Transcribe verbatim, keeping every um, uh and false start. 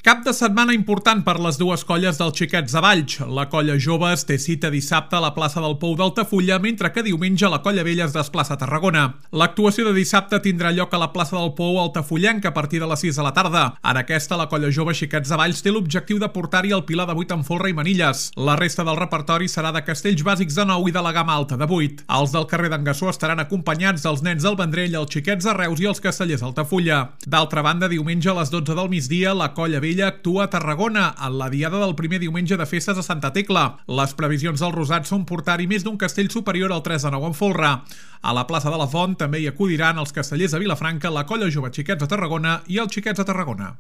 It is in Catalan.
Cap de setmana important per les dues colles dels Xiquets de Valls. La colla Joves té cita dissabte a la plaça del Pou d'Altafulla, mentre que diumenge la colla Vella es desplaça a Tarragona. L'actuació de dissabte tindrà lloc a la plaça del Pou Altafullenc a partir de les sis de la tarda. En aquesta, la colla Jove Xiquets de Valls té l'objectiu de portar-hi el Pilar de vuit amb folre i manilles. La resta del repertori serà de castells bàsics de nou i de la gamma alta de vuit. Els del carrer d'en Gassó estaran acompanyats dels nens del Vendrell, els Xiquets de Reus i els castellers d'Altafulla. D'altra banda, diumenge a les dotze del migdia, la colla Vella actua a Tarragona, en la diada del primer diumenge de festes a Santa Tecla. Les previsions del Rosat són portar-hi més d'un castell superior al tres de nou en folre. A la plaça de la Font també hi acudiran els castellers de Vilafranca, la colla Jove Xiquets de Tarragona i els Xiquets de Tarragona.